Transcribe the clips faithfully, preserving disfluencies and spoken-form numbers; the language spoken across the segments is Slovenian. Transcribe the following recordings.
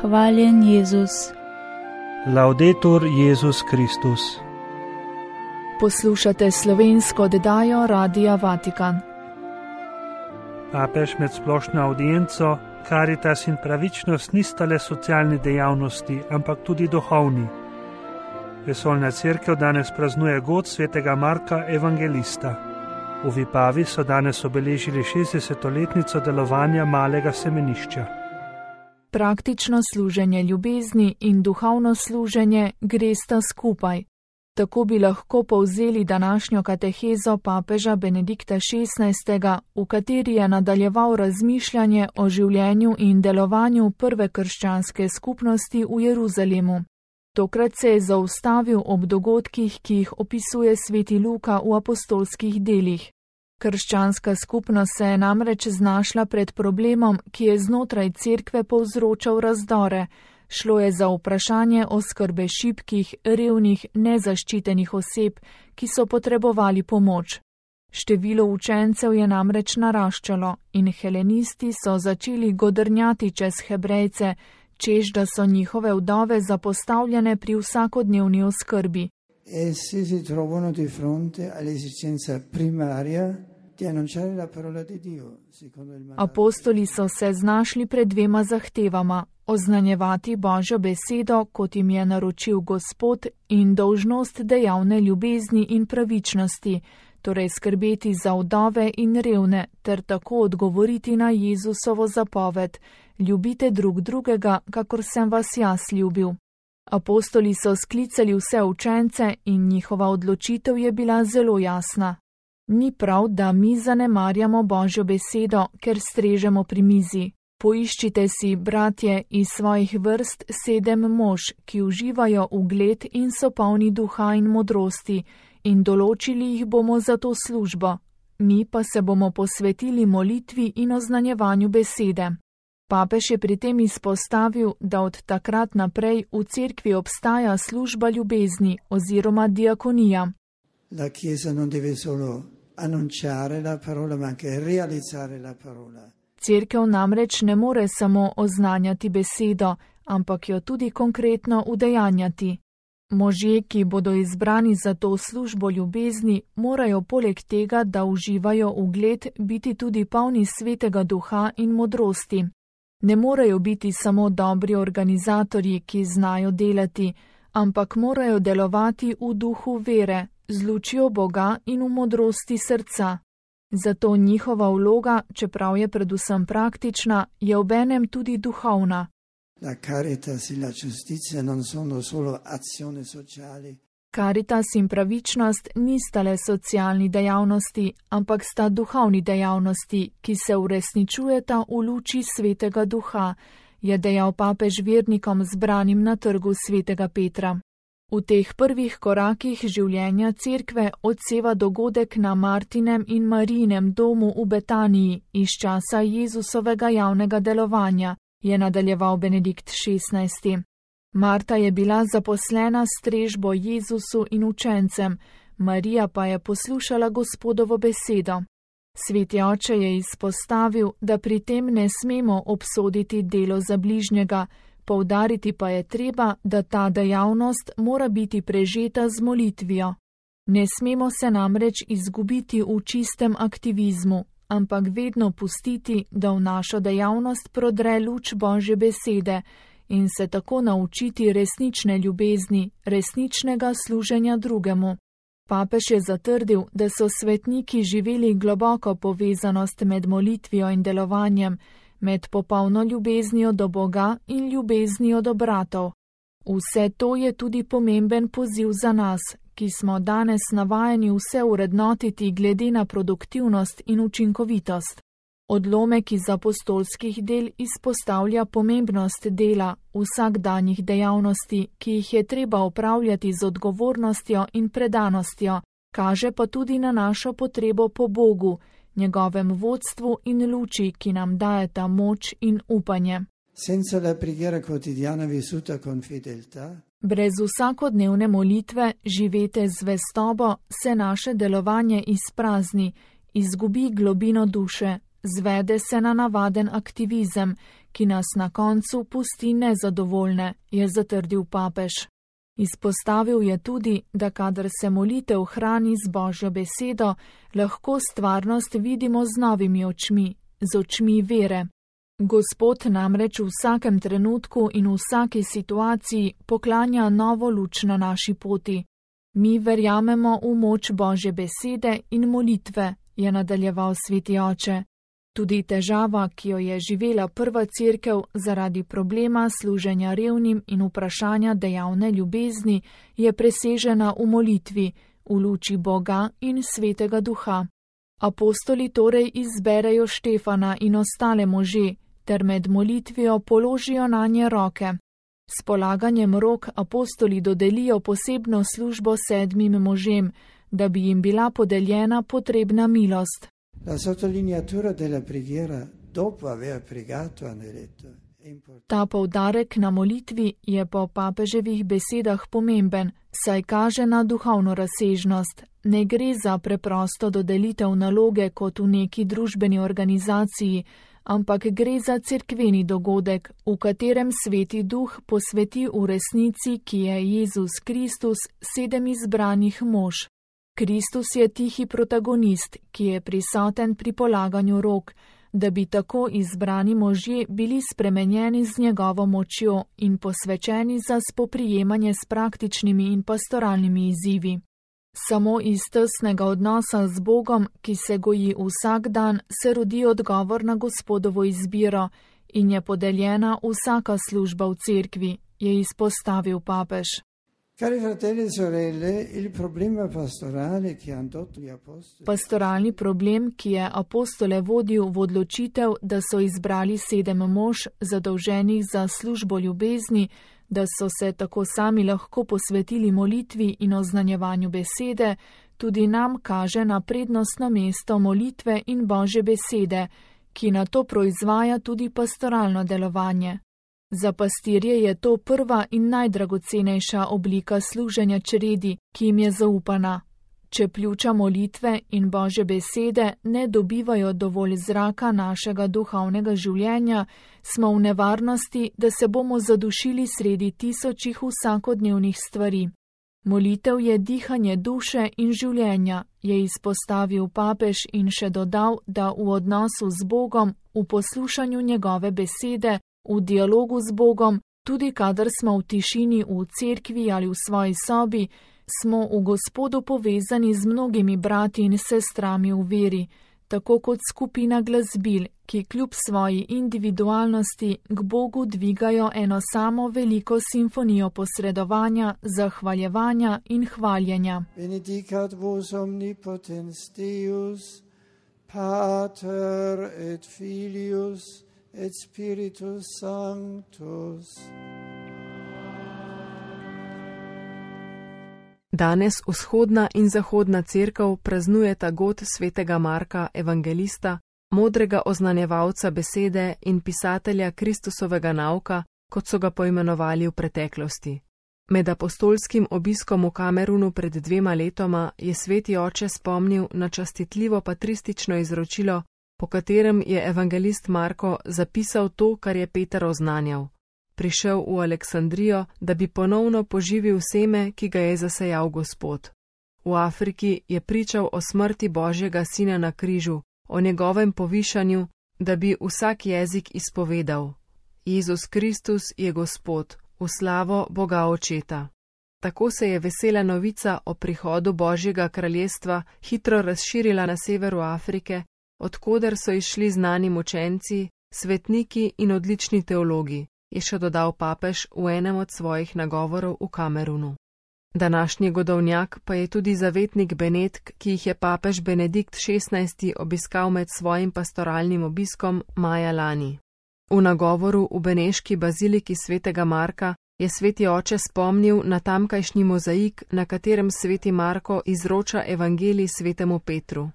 Hvaljen Jezus. Laudetur Jezus Kristus. Poslušate slovensko oddajo Radia Vatikan. Papež med splošno audienco Caritas in pravičnost nista le socialni dejavnosti, ampak tudi duhovni. Vesoljna cerkev danes praznuje god svetega Marka Evangelista. V Vipavi so danes obeležili šestdesetletnico delovanja malega semenišča. Praktično služenje ljubezni in duhovno služenje gresta skupaj. Tako bi lahko povzeli današnjo katehezo papeža Benedikta šestnajstega, v kateri je nadaljeval razmišljanje o življenju in delovanju prve krščanske skupnosti v Jeruzalemu. Tokrat se je zaustavil ob dogodkih, ki jih opisuje sveti Luka v apostolskih delih. Krščanska skupnost se je namreč znašla pred problemom, ki je znotraj cerkve povzročal razdore. Šlo je za vprašanje oskrbe šibkih, revnih, nezaščitenih oseb, ki so potrebovali pomoč. Število učencev je namreč naraščalo in helenisti so začeli godrnjati čez Hebrejce, češ da so njihove vdove zapostavljene pri vsakodnevni oskrbi. Essi si trovano di fronte all'esigenza primaria di annunciare la parola di Dio, secondo il mandato. Apostoli so se znašli pred dvema zahtevama: oznanjevati Božjo besedo, kot jim je naročil Gospod, in dolžnost dejavne ljubezni in pravičnosti, torej skrbeti za vdove in revne, ter tako odgovoriti na Jezusovo zapoved: ljubite drug drugega, kakor sem vas jaz ljubil. Apostoli so sklicali vse učence in njihova odločitev je bila zelo jasna. Ni prav, da mi zanemarjamo Božjo besedo, ker strežemo pri mizi. Poiščite si, bratje, iz svojih vrst sedem mož, ki uživajo ugled in so polni duha in modrosti, in določili jih bomo za to službo. Mi pa se bomo posvetili molitvi in oznanjevanju besede. Papež je pri tem izpostavil, da od takrat naprej v cerkvi obstaja služba ljubezni oziroma diakonija. La Chiesa non deve solo annunciare la parola, ma anche realizzare la parola. Cerkev namreč ne more samo oznanjati besedo, ampak jo tudi konkretno udejanjati. Možje, ki bodo izbrani za to službo ljubezni, morajo poleg tega, da uživajo ugled, biti tudi polni svetega duha in modrosti. Ne morejo biti samo dobri organizatorji, ki znajo delati, ampak morajo delovati v duhu vere, z lučjo Boga in v modrosti srca. Zato njihova vloga, čeprav je predvsem praktična, je obenem tudi duhovna. La caritas in la giustizia non sono solo azioni sociali. Caritas in pravičnost nista le socialni dejavnosti, ampak sta duhovni dejavnosti, ki se uresničujeta v luči svetega duha, je dejal papež vernikom zbranim na trgu svetega Petra. V teh prvih korakih življenja cerkve odseva dogodek na Martinem in Marijinem domu v Betaniji iz časa Jezusovega javnega delovanja, je nadaljeval Benedikt šestnajsti. Marta je bila zaposlena s strežbo Jezusu in učencem, Marija pa je poslušala Gospodovo besedo. Sveti oče je izpostavil, da pri tem ne smemo obsoditi delo za bližnjega, poudariti pa je treba, da ta dejavnost mora biti prežeta z molitvijo. Ne smemo se namreč izgubiti v čistem aktivizmu, ampak vedno pustiti, da v našo dejavnost prodre luč Božje besede in se tako naučiti resnične ljubezni, resničnega služenja drugemu. Papež je zatrdil, da so svetniki živeli globoko povezanost med molitvijo in delovanjem, med popolno ljubeznijo do Boga in ljubeznijo do bratov. Vse to je tudi pomemben poziv za nas, ki smo danes navajeni vse urednotiti glede na produktivnost in učinkovitost. Odlomek iz apostolskih del izpostavlja pomembnost dela vsakdanjih dejavnosti, ki jih je treba opravljati z odgovornostjo in predanostjo, kaže pa tudi na našo potrebo po Bogu, njegovem vodstvu in luči, ki nam dajeta moč in upanje. Senza la preghiera quotidiana vissuta con fedeltà, brez vsakodnevne molitve, živete z zvestobo, se naše delovanje izprazni, izgubi globino duše, zvede se na navaden aktivizem, ki nas na koncu pusti nezadovoljne, je zatrdil papež. Izpostavil je tudi, da kadar se molitev hrani z Božjo besedo, lahko stvarnost vidimo z novimi očmi, z očmi vere. Gospod namreč v vsakem trenutku in v vsaki situaciji poklanja novo luč na naši poti. Mi verjamemo v moč Božje besede in molitve, je nadaljeval sveti oče. Tudi težava, ki jo je živela prva cerkev zaradi problema služenja revnim in vprašanja dejavne ljubezni, je presežena v molitvi, v luči Boga in Svetega Duha. Apostoli torej izberejo Štefana in ostale može, ter med molitvijo položijo nanje roke. S polaganjem rok apostoli dodelijo posebno službo sedmim možem, da bi jim bila podeljena potrebna milost. La sottolineatura della preghiera dopo aver pregato hanno detto. Ta poudarek na molitvi je po papeževih besedah pomemben, saj kaže na duhovno razsežnost. Ne gre za preprosto dodelitev naloge kot v neki družbeni organizaciji, ampak gre za cerkveni dogodek, v katerem Sveti Duh posveti v resnici, ki je Jezus Kristus, sedem izbranih mož. Kristus je tihi protagonist, ki je prisoten pri polaganju rok, da bi tako izbrani možje bili spremenjeni z njegovo močjo in posvečeni za spoprijemanje s praktičnimi in pastoralnimi izzivi. Samo iz tesnega odnosa z Bogom, ki se goji vsak dan, se rodi odgovor na Gospodovo izbiro in je podeljena vsaka služba v cerkvi, je izpostavil papež. Cari fratelli e sorelle, il problema pastorale che hanno indotto gli apostoli. Pastoralni problem, ki je apostole vodil v odločitev, da so izbrali sedem mož, zadolženih za službo ljubezni, da so se tako sami lahko posvetili molitvi in oznanjevanju besede, tudi nam kaže na prednostno mesto molitve in Božje besede, ki na to proizvaja tudi pastoralno delovanje. Za pastirje je to prva in najdragocenejša oblika služenja čredi, ki jim je zaupana. Če pljuča molitve in Božje besede ne dobivajo dovolj zraka našega duhovnega življenja, smo v nevarnosti, da se bomo zadušili sredi tisočih vsakodnevnih stvari. Molitev je dihanje duše in življenja, je izpostavil papež in še dodal, da v odnosu z Bogom, v poslušanju njegove besede, v dialogu z Bogom, tudi kadar smo v tišini v cerkvi ali v svoji sobi, smo v Gospodu povezani z mnogimi brati in sestrami v veri, tako kot skupina glasbil, ki kljub svoji individualnosti k Bogu dvigajo eno samo veliko simfonijo posredovanja, zahvaljevanja in hvaljenja. Benedicat vos omnipotens Deus, Pater et Filius et Spiritus Sanctus. Danes vzhodna in zahodna cerkev praznujeta god svetega Marka, evangelista, modrega oznanjevalca besede in pisatelja Kristusovega nauka, kot so ga poimenovali v preteklosti. Med apostolskim obiskom v Kamerunu pred dvema letoma je sveti oče spomnil na častitljivo patristično izročilo, po katerem je evangelist Marko zapisal to, kar je Peter oznanjal. Prišel v Aleksandrijo, da bi ponovno poživil seme, ki ga je zasejal Gospod. V Afriki je pričal o smrti Božjega sina na križu, o njegovem povišanju, da bi vsak jezik izpovedal: Jezus Kristus je Gospod, v slavo Boga Očeta. Tako se je vesela novica o prihodu Božjega kraljestva hitro razširila na severu Afrike, odkoder so išli znani mučenci, svetniki in odlični teologi, je še dodal papež v enem od svojih nagovorov v Kamerunu. Današnji godovnjak pa je tudi zavetnik Benedk, ki jih je papež Benedikt šestnajsti obiskal med svojim pastoralnim obiskom maja lani. V nagovoru v beneški baziliki svetega Marka je sveti oče spomnil na tamkajšnji mozaik, na katerem sveti Marko izroča evangelij svetemu Petru.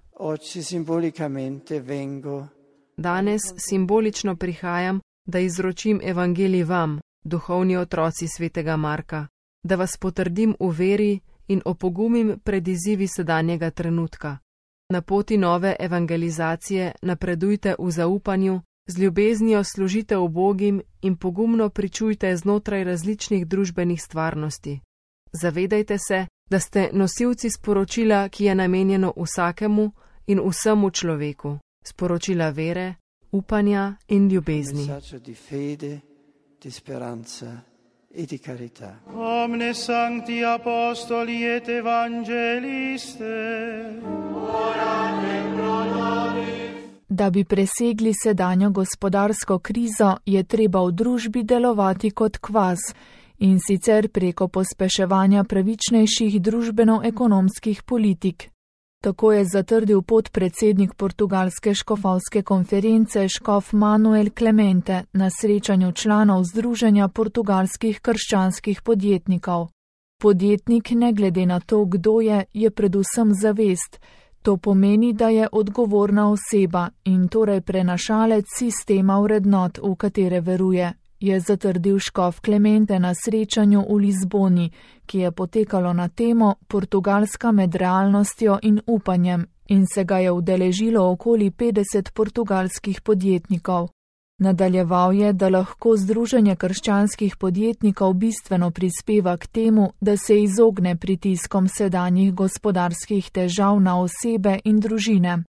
Danes simbolično prihajam, da izročim evangelij vam, duhovni otroci svetega Marka, da vas potrdim v veri in opogumim pred izzivi sedanjega trenutka. Na poti nove evangelizacije napredujte v zaupanju, Z ljubeznijo služite ubogim in pogumno pričujte znotraj različnih družbenih stvarnosti. Zavedajte se, da ste nosilci sporočila, ki je namenjeno vsakemu in vsemu človeku, sporočila vere, upanja in ljubezni. Omne sancti apostoli et evangeliste, orate pro nobis. Da bi presegli sedanjo gospodarsko krizo, je treba v družbi delovati kot kvas, in sicer preko pospeševanja pravičnejših družbeno-ekonomskih politik. Tako je zatrdil podpredsednik portugalske škofovske konference škof Manuel Clemente na srečanju članov Združenja portugalskih krščanskih podjetnikov. Podjetnik, ne glede na to, kdo je, je predvsem zavest. To pomeni, da je odgovorna oseba in torej prenašalec sistema vrednot, v katere veruje, je zatrdil škof Clemente na srečanju v Lizboni, ki je potekalo na temo Portugalska med realnostjo in upanjem in se ga je udeležilo okoli petdeset portugalskih podjetnikov. Nadaljeval je, da lahko Združenje krščanskih podjetnikov bistveno prispeva k temu, da se izogne pritiskom sedanjih gospodarskih težav na osebe in družine.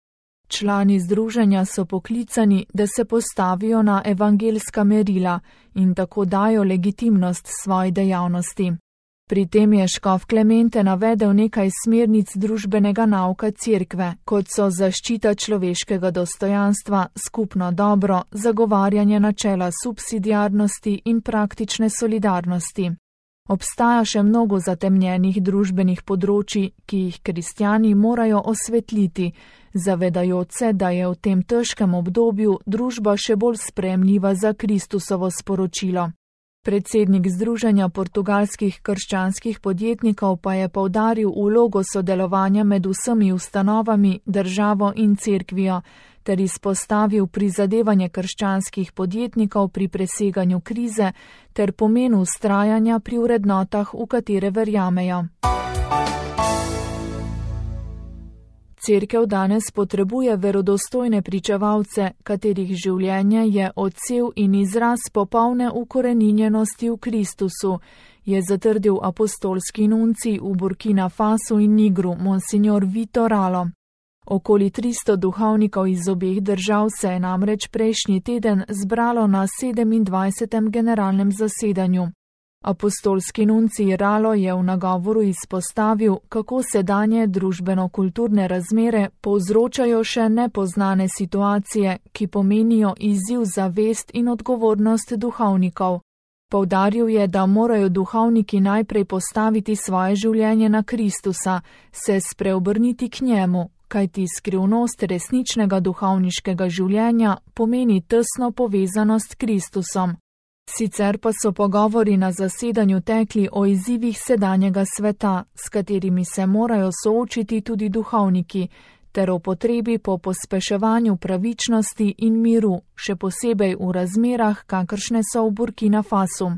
Člani združenja so poklicani, da se postavijo na evangeljska merila in tako dajo legitimnost svoji dejavnosti. Pri tem je škof Clemente navedel nekaj smernic družbenega nauka cerkve, kot so zaščita človeškega dostojanstva, skupno dobro, zagovarjanje načela subsidiarnosti in praktične solidarnosti. Obstaja še mnogo zatemnjenih družbenih področji, ki jih kristjani morajo osvetliti, zavedajoč se, da je v tem težkem obdobju družba še bolj sprejemljiva za Kristusovo sporočilo. Predsednik Združenja portugalskih krščanskih podjetnikov pa je poudaril vlogo sodelovanja med vsemi ustanovami, državo in cerkvijo, ter izpostavil prizadevanje krščanskih podjetnikov pri preseganju krize ter pomenu vztrajanja pri vrednotah, v katere verjamejo. Cerkev danes potrebuje verodostojne pričevalce, katerih življenje je odsev in izraz popolne ukoreninjenosti v Kristusu, je zatrdil apostolski nuncij v Burkina Fasu in Nigru, monsignor Vito Ralo. Okoli tristo duhovnikov iz obeh držav se je namreč prejšnji teden zbralo na sedemindvajsetem generalnem zasedanju. Apostolski nuncij Ralo je v nagovoru izpostavil, kako sedanje družbeno-kulturne razmere povzročajo še nepoznane situacije, ki pomenijo izziv za vest in odgovornost duhovnikov. Poudaril je, da morajo duhovniki najprej postaviti svoje življenje na Kristusa, se spreobrniti k njemu, kajti skrivnost resničnega duhovniškega življenja pomeni tesno povezanost s Kristusom. Sicer pa so pogovori na zasedanju tekli o izzivih sedanjega sveta, s katerimi se morajo soočiti tudi duhovniki, ter o potrebi po pospeševanju pravičnosti in miru, še posebej v razmerah, kakršne so v Burkina Fasu.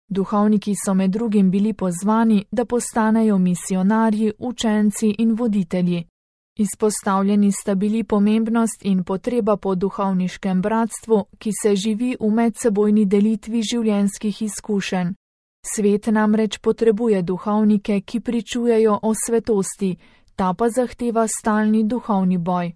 Duhovniki so med drugim bili pozvani, da postanejo misionarji, učenci in voditelji. Izpostavljeni sta bili pomembnost in potreba po duhovniškem bratstvu, ki se živi v medsebojni delitvi življenjskih izkušenj. Svet namreč potrebuje duhovnike, ki pričujejo o svetosti, ta pa zahteva stalni duhovni boj.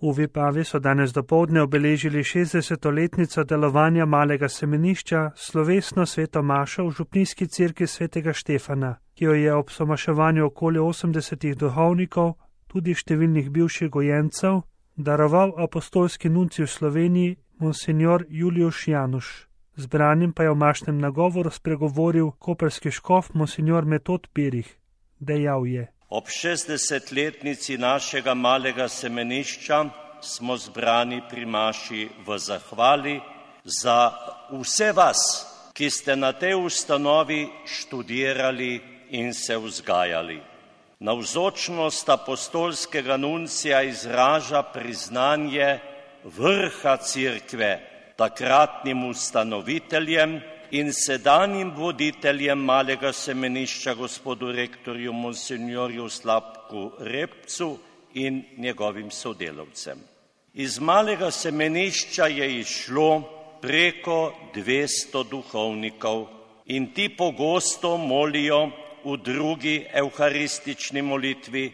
V Vipavi so danes dopoldne obeležili šestdesetletnico delovanja malega semenišča, slovesno sveto mašo v župnijski cerkvi svetega Štefana, ki jo je ob somaševanju okoli osemdesetih duhovnikov, tudi številnih bivših gojencev, daroval apostolski nuncij v Sloveniji, monsignor Julius Januš. Zbranim pa je v mašnem nagovoru spregovoril koprski škof monsignor Metod Pirih. Dejal je: Ob šestdesetletnici našega malega semenišča smo zbrani pri maši v zahvali za vse vas, ki ste na tej ustanovi študirali in se vzgajali. Navzočnost apostolskega nuncija izraža priznanje vrha cerkve, takratnim ustanoviteljem in sedanjim voditeljem malega semenišča, gospodu rektorju monsignorju Slavku Repcu in njegovim sodelavcem. Iz malega semenišča je izšlo preko dvesto duhovnikov in ti pogosto molijo v drugi evharistični molitvi: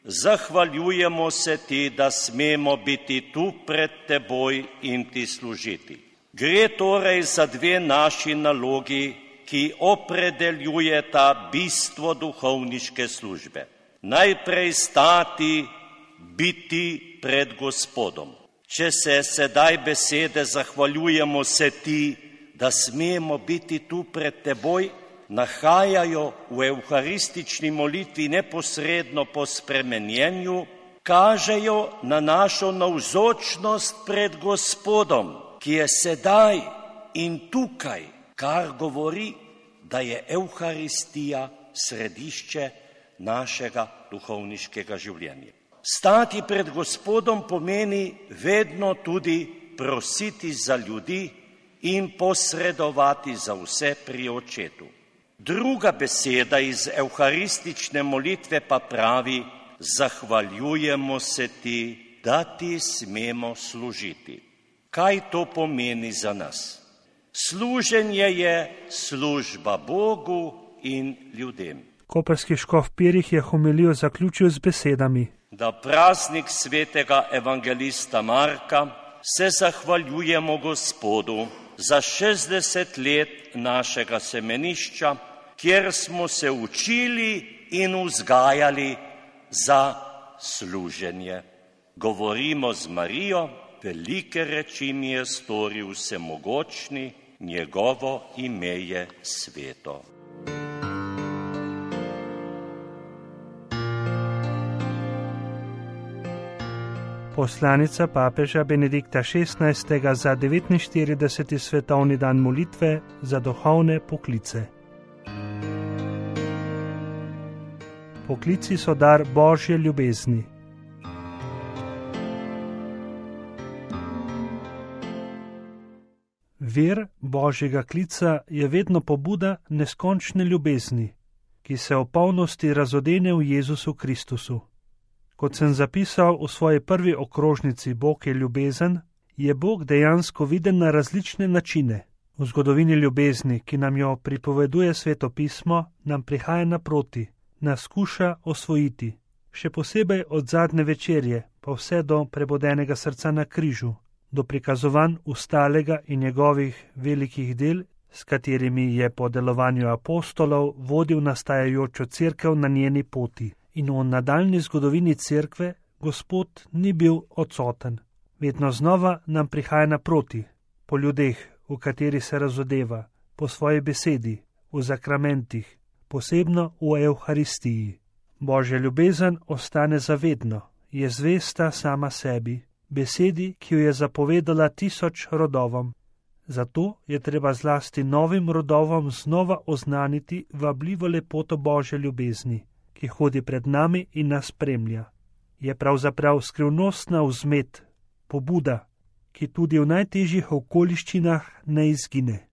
zahvaljujemo se ti, da smemo biti tu pred teboj in ti služiti. Gre torej za dve naši nalogi, ki opredeljujeta bistvo duhovniške službe. Najprej stati, biti pred Gospodom. Če se sedaj besede zahvaljujemo se ti, da smemo biti tu pred teboj, nahajajo v evharistični molitvi neposredno po spremenjenju, kažejo na našo navzočnost pred Gospodom, ki je sedaj in tukaj, kar govori, da je evharistija središče našega duhovniškega življenja. Stati pred Gospodom pomeni vedno tudi prositi za ljudi in posredovati za vse pri Očetu. Druga beseda iz evharistične molitve pa pravi: zahvaljujemo se ti, da ti smemo služiti. Kaj to pomeni za nas? Služenje je služba Bogu in ljudem. Koprski škof Pirih je homilijo zaključil z besedami: da praznik svetega evangelista Marka se zahvaljujemo Gospodu za šestdeset let našega semenišča, kjer smo se učili in vzgajali za služenje. Govorimo z Marijo: velike reči mi je storil vsemogočni, njegovo ime je sveto. Poslanica papeža Benedikta šestnajstega za devetinštirideseti svetovni dan molitve za duhovne poklice. Poklici so dar Božje ljubezni. Vir Božjega klica je vedno pobuda neskončne ljubezni, ki se v polnosti razodene v Jezusu Kristusu. Kot sem zapisal v svoji prvi okrožnici Bog je ljubezen, je Bog dejansko viden na različne načine. V zgodovini ljubezni, ki nam jo pripoveduje Sveto pismo, nam prihaja naproti, nas skuša osvojiti, še posebej od zadnje večerje, pa vse do prebodenega srca na križu, do prikazovanj ustalega in njegovih velikih del, s katerimi je po delovanju apostolov vodil nastajajočo cerkev na njeni poti. In v nadaljni zgodovini cerkve Gospod ni bil odsoten. Vedno znova nam prihaja naproti, po ljudeh, v kateri se razodeva, po svoji besedi, v zakramentih, posebno v Evharistiji. Božja ljubezen ostane zavedno, je zvesta sama sebi, besedi, ki jo je zapovedala tisoč rodovom. Zato je treba zlasti novim rodovom znova oznaniti vabljivo lepoto Božje ljubezni, ki hodi pred nami in nas spremlja. Je pravzaprav skrivnostna vzmet, pobuda, ki tudi v najtežjih okoliščinah ne izgine.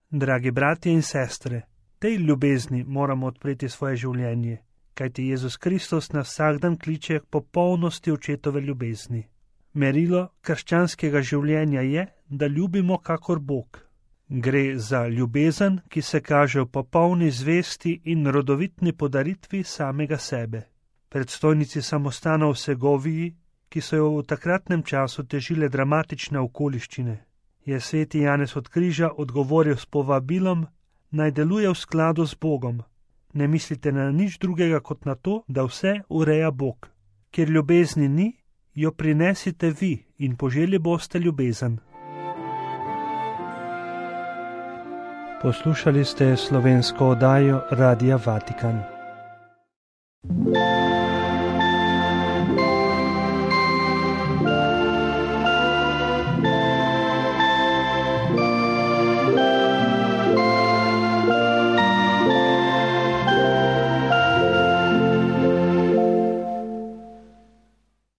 Dragi bratje in sestre, tej ljubezni moramo odpreti svoje življenje, kajti Jezus Kristus nas vsak dan kliče k popolnosti očetove ljubezni. Merilo krščanskega življenja je, da ljubimo kakor Bog. Gre za ljubezen, ki se kaže v popolni zvesti in rodovitni podaritvi samega sebe. Predstojnici samostanov v Segoviji, ki so jo v takratnem času težile dramatične okoliščine, je sveti Janez od Križa odgovoril s povabilom, naj deluje v skladu z Bogom. Ne mislite na nič drugega kot na to, da vse ureja Bog. Ker ljubezni ni, jo prinesite vi in poželi boste ljubezen. Poslušali ste slovensko oddajo Radia Vatikan.